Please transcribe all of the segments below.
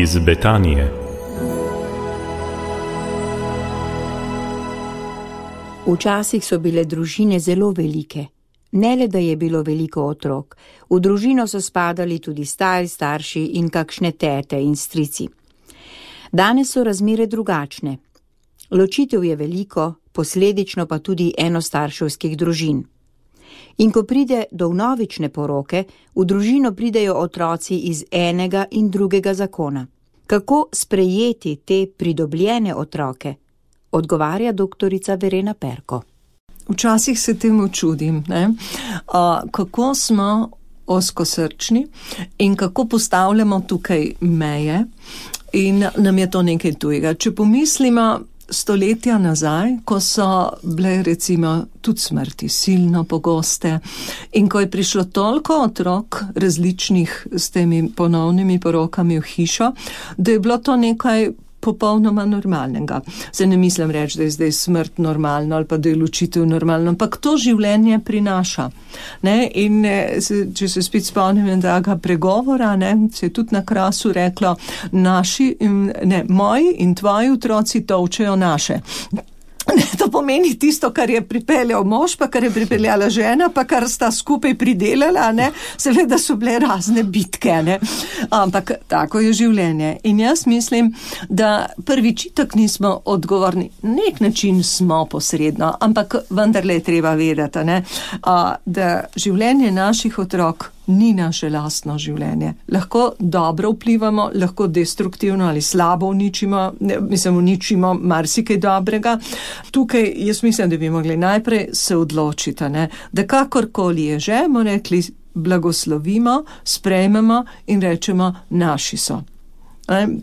iz Betanije. Včasih so bile družine zelo velike. Ne le, da je bilo veliko otrok, v družino so spadali tudi stari starši in kakšne tete in strici. Danes so razmere drugačne. Ločitev je veliko, posledično pa tudi enostarševskih družin. In ko pride do vnovične poroke, v družino pridejo otroci iz enega in drugega zakona. Kako sprejeti te pridobljene otroke? Odgovarja doktorica Verena Perko. Včasih se temu čudim, kako smo ozkosrčni in kako postavljamo tukaj meje in nam je to nekaj tujega. Če pomislimo stoletja nazaj, ko so bile recimo tudi smrti silno pogoste in ko je prišlo toliko otrok različnih s temi ponovnimi porokami v hišo, da je bilo to nekaj popolnoma normalnega. Se ne mislim reči, da je zdaj smrt normalno ali pa da je ločitev normalno, ampak to življenje prinaša. In če se spet spomnim enega pregovora, se je tudi na Krasu reklo, moji in tvoji otroci tolčejo naše. To pomeni tisto, kar je pripeljal mož, pa kar je pripeljala žena, pa kar sta skupaj pridelala, seveda so bile razne bitke, ampak tako je življenje. In jaz mislim, da prvič itak nismo odgovorni, na nek način smo posredno, ampak vendarle je treba vedeti, da življenje naših otrok ni naše lastno življenje. Lahko dobro vplivamo, lahko destruktivno ali slabo uničimo marsikaj dobrega. Tukaj jaz mislim, da bi mogli najprej se odločiti, da kakorkoli je že, bomo rekli, blagoslovimo, sprejmemo in rečemo, naši so.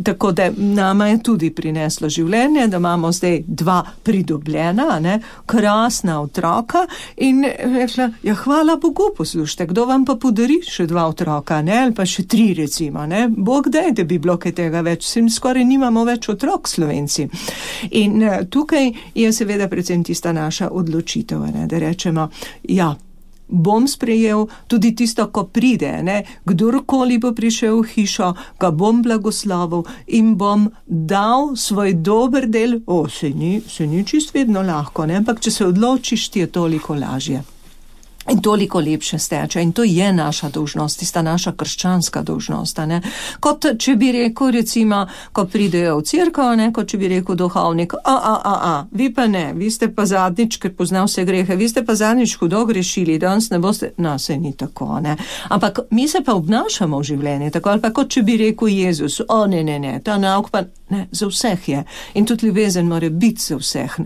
Tako da nama je tudi prineslo življenje, da imamo zdaj 2 pridobljena, krasna otroka in rekla, hvala Bogu, poslušajte, kdo vam pa podari še 2 otroka, ali pa še 3 recimo, Bog daj, da bi bilo kaj tega več, skoraj nimamo več otrok Slovenci. In tukaj je seveda predvsem tista naša odločitev, da rečemo, bom sprejel tudi tisto, ko pride, kdorkoli bo prišel v hišo, ga bom blagoslovil in bom dal svoj dober del. Se ni čist vedno lahko, ampak če se odločiš, ti je toliko lažje. In toliko lepše steče. In to je naša dolžnost, tista naša krščanska dolžnost. Kot če bi rekel, recimo, ko pridejo v cerkev, kot če bi rekel duhovnik, vi pa ne, vi ste pa zadnjič, ker pozna vse grehe, vi ste pa zadnjič hudo grešili, danes ne boste, se ni tako, Ampak mi se pa obnašamo v življenju, tako ali pa kot če bi rekel Jezus, ne, ta nauk pa ne, za vseh je. In tudi ljubezen mora biti za vseh,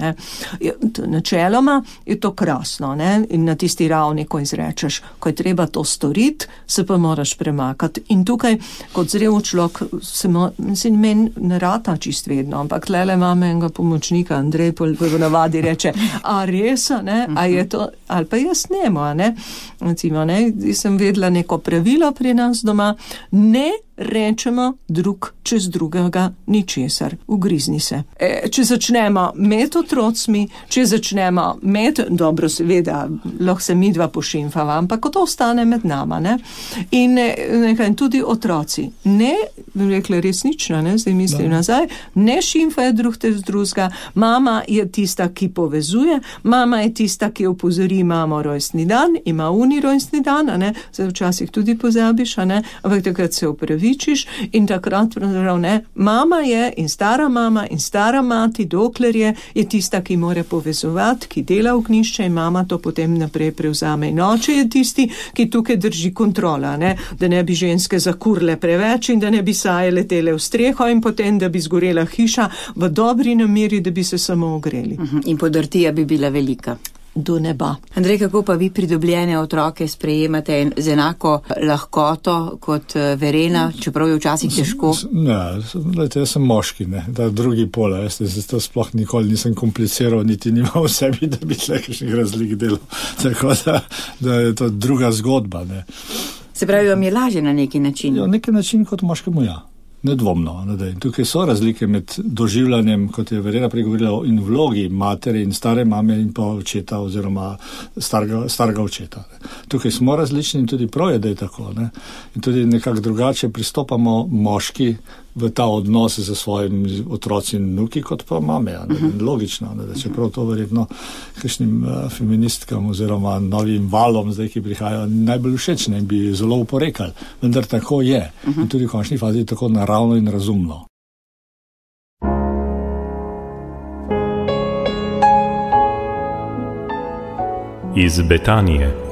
Načeloma je to krasno, in na tisti ravni, ko izrečeš, ko je treba to storiti, se pa moraš premakati. In tukaj, kot zrel človek, meni ne rata čist vedno, ampak tlele imam enega pomočnika, Andrej, po navadi reče, a res, a je to, ali pa jaz nemo, Recimo, sem vedela neko pravilo pri nas doma, ne rečemo drug čez drugega ničesar, ugrizni se. Če začnemo med otrocmi, če začnemo dobro seveda, lahko se midva pošimfava, ampak to ostane med nama, In tudi otroci, rekla resnično, zdaj mislim nazaj, ne šimfajo drug tez drugega, mama je tista, ki povezuje, mama je tista, ki opozori, imamo rojstni dan, ima rojstni dan, zdaj včasih tudi pozabiš, ampak takrat se opravičiš in takrat pravzaprav mama je in stara mati, dokler je tista, ki mora povezovati, ki dela ognjišče in mama to potem naprej prevzame. In oče je tisti, ki tukaj drži kontrola, da ne bi ženske zakurle preveč in da ne bi saje letele v streho in potem, da bi zgorela hiša v dobri nameri, da bi se samo ogreli. In podrtija bi bila velika. Do neba. Andrej, kako pa vi pridobljene otroke sprejemate z enako lahkoto kot Verena, čeprav je včasih težko? Jaz sem moški, ta drugi pol, jaz to sploh nikoli nisem kompliciral, niti nimam v sebi, da bi kakšnih razlik delal. Tako da je to druga zgodba. Se pravi, vam je lažje na neki način? Na neki način kot moškemu, Nedvomno. Tukaj so razlike med doživljanjem, kot je Verena pregovorila, in vlogi matere in stare mame in pa očeta oziroma starega očeta. Tukaj smo različni in tudi prav je, da je tako. In tudi nekako drugače pristopamo moški v ta odnos z svojimi otroci in vnuki, kot pa mame. Logično, da čeprav to verjetno kakšnim feministkam oziroma novim valom, zdaj, ki prihajajo, najbolj všečne in bi zelo oporekali. Vendar tako je. In tudi v končni fazi je tako naravno in razumno. Iz Betanije.